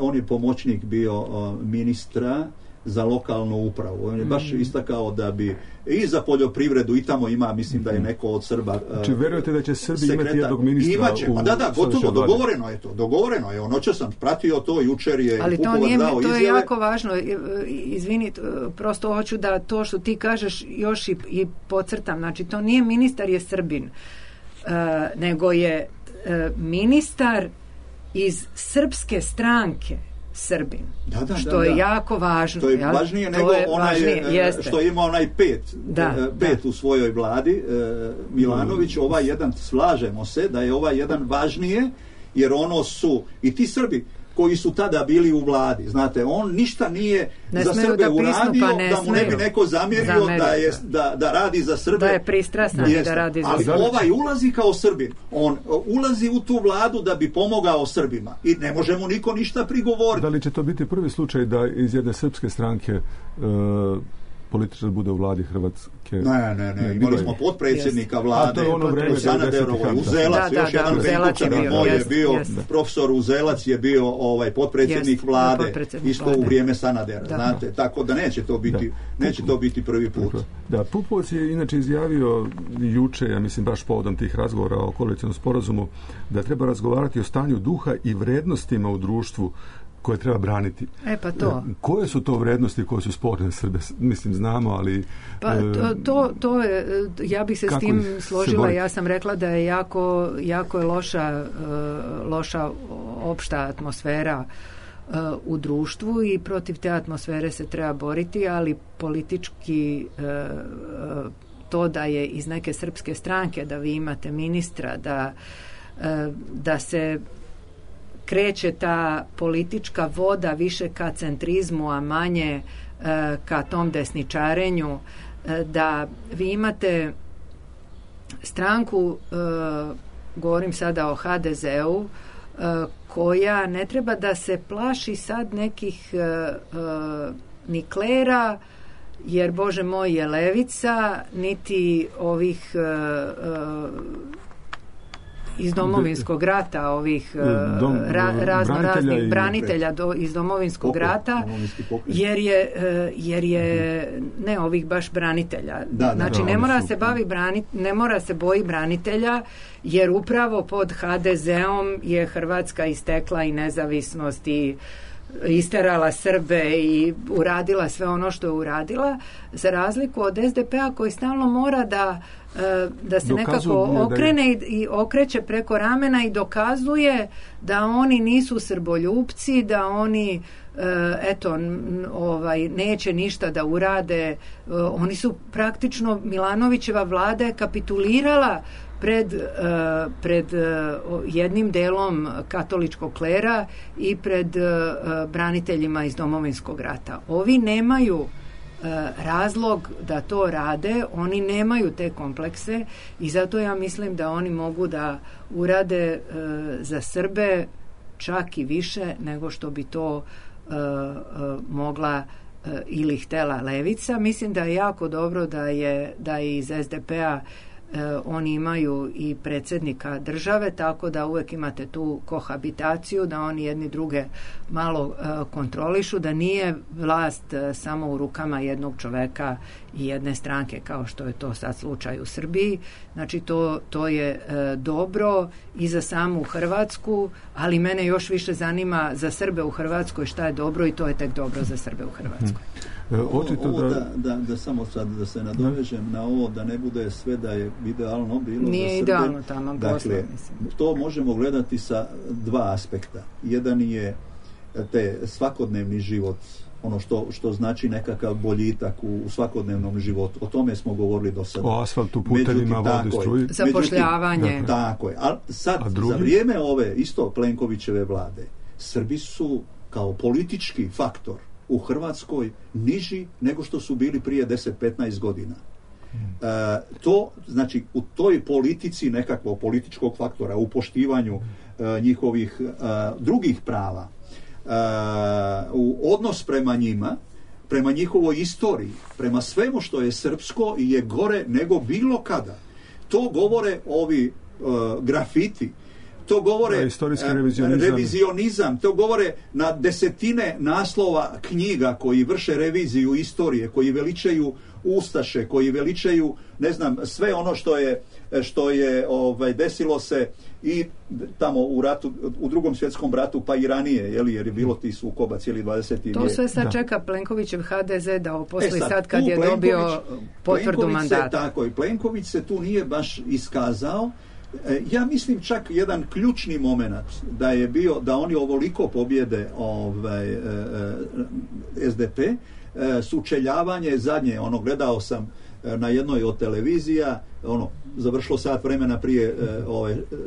on je pomoćnik bio ministra za lokalnu upravu. On je baš istakao da bi i za poljoprivredu i tamo ima, mislim da je neko od Srba. Znači, verujete da će Srbi imati jednog ministra? Imaće, gotovo, dogovoreno je. Noćas sam pratio to, jučer je ali Pupovac dao izjave. Ali to je jako važno. Izvini, prosto hoću da to što ti kažeš još i podcrtam. Znači, to nije ministar je Srbin, nego je ministar iz srpske stranke Srbin. Što je jako važno. To je važnije nego što ima onaj pet u svojoj vladi, Milanović, ovaj jedan, slažemo se da je ovaj jedan važnije, jer ono su i ti Srbi koji su tada bili u vladi. Znate, on ništa nije za Srbe uradio, da mu ne bi neko zamjerio da radi za Srbe. Da je pristrasan da radi za Srbe. Ali ovaj ulazi kao Srbin. On ulazi u tu vladu da bi pomogao Srbima. I ne može mu niko ništa prigovoriti. Da li će to biti prvi slučaj da iz jedne srpske stranke političar bude u vladi Hrvatske? Ne. Imali smo potpredsjednika vlade u Sanaderovoj, Uzelac, još jedan Benkučanin moj je bio, profesor Uzelac je bio potpredsjednik vlade, isto u vrijeme Sanadera, znate, tako da neće to biti prvi put. Da, Pupovac je inače izjavio juče, ja mislim baš povodom tih razgovora o koalicijnom sporazumu, da treba razgovarati o stanju duha i vrednostima u društvu koje treba braniti. Pa to. Koje su to vrednosti koje su sporne Srbe? Mislim, znamo, ali... Pa to je, ja bih se s tim složila. Ja sam rekla da je jako je loša opšta atmosfera u društvu i protiv te atmosfere se treba boriti, ali politički to da je iz neke srpske stranke, da vi imate ministra, da se kreće ta politička voda više ka centrizmu, a manje ka tom desničarenju, da vi imate stranku, govorim sada o HDZ-u, koja ne treba da se plaši sad nekih ni klera, jer Bože moj je levica, niti ovih iz Domovinskog rata, ovih raznoraznih branitelja iz Domovinskog rata, jer je ne ovih baš branitelja. Znači ne mora se boji branitelja, jer upravo pod HDZ-om je Hrvatska istekla i nezavisnost i isterala Srbe i uradila sve ono što je uradila, za razliku od SDP-a koji stalno mora da se nekako okrene i okreće preko ramena i dokazuje da oni nisu srboljupci, da oni neće ništa da urade. Oni su praktično, Milanovićeva vlada je kapitulirala pred jednim delom katoličkog klera i pred braniteljima iz Domovinskog rata. Ovi nemaju razlog da to rade, oni nemaju te komplekse i zato ja mislim da oni mogu da urade za Srbe čak i više nego što bi to mogla ili htela levica. Mislim da je jako dobro da je iz SDP-a oni imaju i predsjednika države, tako da uvek imate tu kohabitaciju, da oni jedni druge malo kontrolišu, da nije vlast samo u rukama jednog čoveka i jedne stranke, kao što je to sad slučaj u Srbiji. Znači to je dobro i za samu Hrvatsku, ali mene još više zanima za Srbe u Hrvatskoj šta je dobro, i to je tek dobro za Srbe u Hrvatskoj. Da samo sad da se nadovežem na ovo, da ne bude sve da je idealno bilo. Nije za Srbe. Idealno tamo. Dakle, to možemo gledati sa dva aspekta. Jedan je te svakodnevni život, ono što znači nekakav boljitak u svakodnevnom životu. O tome smo govorili do sada. O asfaltu, putevima, vodi, struji. Zapošljavanje. Tako je. Sad, za vrijeme ove isto Plenkovićeve vlade, Srbi su kao politički faktor u Hrvatskoj niži nego što su bili prije 10-15 godina. To, znači, u toj politici nekakvog političkog faktora, u poštivanju njihovih drugih prava, u odnos prema njima, prema njihovoj istoriji, prema svemu što je srpsko i je gore nego bilo kada. To govore ovi grafiti, to govore revizionizam, to govore na desetine naslova knjiga koji vrše reviziju istorije, koji veličaju ustaše, koji veličaju, ne znam, sve ono što je desilo se i tamo u ratu, u Drugom svjetskom ratu, pa i ranije, jer je bilo ti sukoba cijeli 20. vijek. To sve sad čeka Plenkovićev HDZ da oposli sad kad je dobio potvrdu mandata. Tako je, Plenković se tu nije baš iskazao. Ja mislim čak jedan ključni moment da je bio da oni ovoliko pobjede SDP, sučeljavanje zadnje, gledao sam na jednoj od televizija, završilo sat vremena prije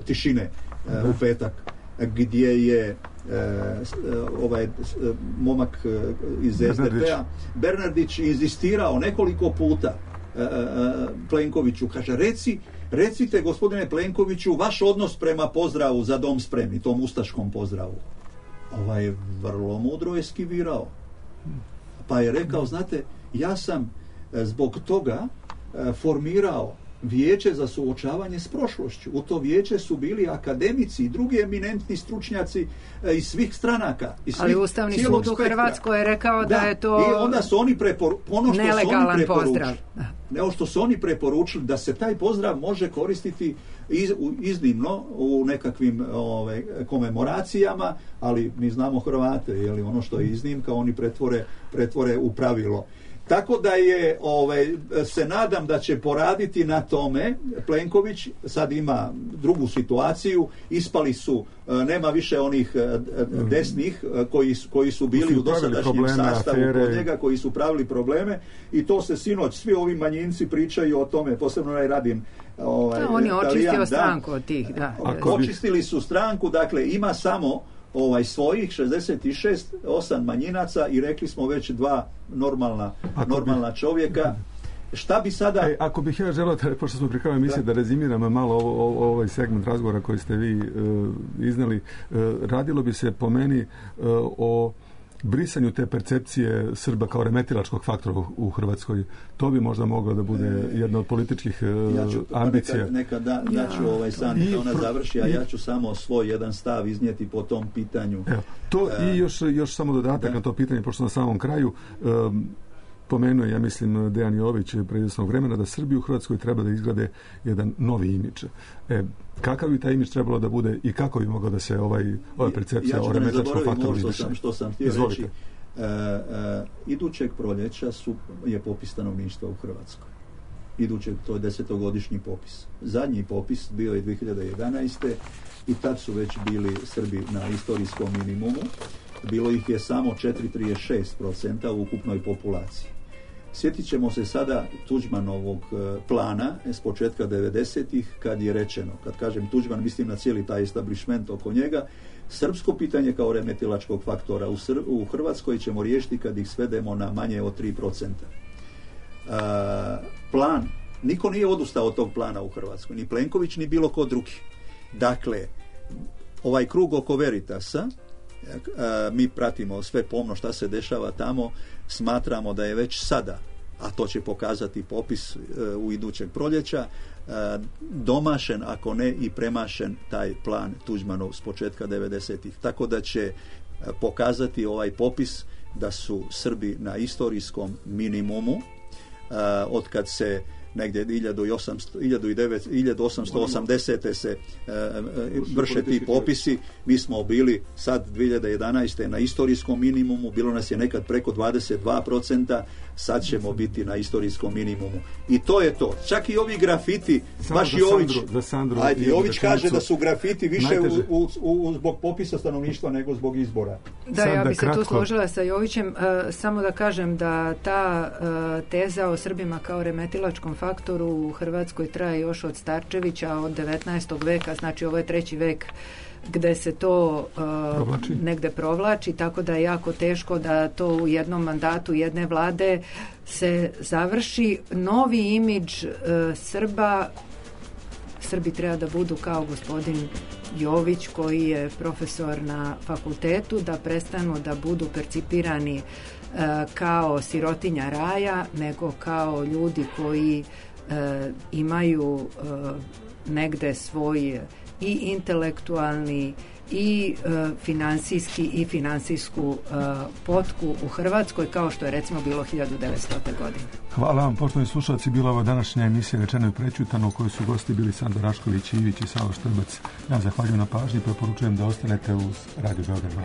tišine u petak, gdje je momak iz SDP-a Bernardić inzistirao nekoliko puta Plenkoviću, kaže, recite gospodine Plenkoviću vaš odnos prema pozdravu Za dom spremni, tom ustaškom pozdravu. Vrlo mudro eskivirao. Pa je rekao, znate, ja sam zbog toga formirao vijeće za suočavanje s prošlošću. U to vijeće su bili akademici i drugi eminentni stručnjaci iz svih stranaka. Ali Ustavni sud u Hrvatskoj je rekao da je to i onda su oni nelegalan pozdrav. Ono što su oni preporučili, da se taj pozdrav može koristiti iznimno u nekakvim komemoracijama, ali mi znamo Hrvate, ono što je iznimka oni pretvore u pravilo. Tako da je, se nadam da će poraditi na tome. Plenković sad ima drugu situaciju, ispali su, nema više onih desnih koji su bili u dosadašnjem sastavu kod njega, koji su pravili probleme, i to se sinoć svi ovi manjinci pričaju o tome, posebno Radim. On je očistio stranku od tih, da. Očistili su stranku, dakle ima samo svojih 66, 8 manjinaca i rekli smo već 2 normalna čovjeka. Šta bi sada... Ako bih ja želeo, pošto smo pri kraju emisije, da rezimiram malo ovaj segment razgovora koji ste vi iznali, radilo bi se po meni o brisanju te percepcije Srba kao remetilačkog faktora u Hrvatskoj. To bi možda moglo da bude jedna od političkih ambicija. Daću Sandi da ona završi, a ja ću samo svoj jedan stav iznijeti po tom pitanju. To i još samo dodatak na to pitanje, pošto na samom kraju pomenuo, ja mislim, Dejan Jović pre izvjesnog vremena, da Srbi u Hrvatskoj treba da izgrade jedan novi imidž. Kakav bi taj imidž trebalo da bude i kako bi mogla da se ova percepcija o remetilačkom faktoru izvrši? Što sam htio reći, idućeg proljeća je popis stanovništva u Hrvatskoj. To je 10-godišnji popis. Zadnji popis bio je 2011. i tad su već bili Srbi na istorijskom minimumu. Bilo ih je samo 4,36% u ukupnoj populaciji. Sjetit ćemo se sada Tuđmanovog plana s početka 90-ih, kad je rečeno, kad kažem Tuđman, mislim na cijeli taj establishment oko njega, srpsko pitanje kao remetilačkog faktora u Hrvatskoj ćemo riješiti kad ih svedemo na manje od 3%. Plan, niko nije odustao od tog plana u Hrvatskoj, ni Plenković, ni bilo ko drugi. Dakle, ovaj krug oko Veritasa, mi pratimo sve pomno šta se dešava tamo, smatramo da je već sada, a to će pokazati popis u idućeg proljeća, domašen, ako ne i premašen taj plan Tuđmanov s početka 90-ih. Tako da će pokazati ovaj popis da su Srbi na istorijskom minimumu od kad se negdje 1880. se vrše ti popisi. Mi smo bili sad 2011. na istorijskom minimumu, bilo nas je nekad preko 22%, sad ćemo biti na istorijskom minimumu. I to je to. Čak i ovi grafiti, baš Jović kaže da su grafiti više zbog popisa stanovništva nego zbog izbora. Da, ja bi se tu složila sa Jovićem. Samo da kažem da ta teza o Srbima kao remetilačkom faktoru u Hrvatskoj traje još od Starčevića, od 19. veka, znači ovo je 3. vek gde se to negde provlači, tako da je jako teško da to u jednom mandatu jedne vlade se završi. Novi imidž Srbi treba da budu kao gospodin Jović, koji je profesor na fakultetu, da prestanu da budu percipirani kao sirotinja raja, nego kao ljudi koji imaju negde svoj i intelektualni i finansijski i finansijsku potku u Hrvatskoj, kao što je recimo bilo 1900. godine. Hvala vam, poštovani slušalci. Bila ova današnja emisija Rečeno i prečutano, u kojoj su gosti bili Sandra Rašković, Ivić i Savo Štrbac. Ja zahvaljujem na pažnji i preporučujem da ostanete uz Radio Beograd 2.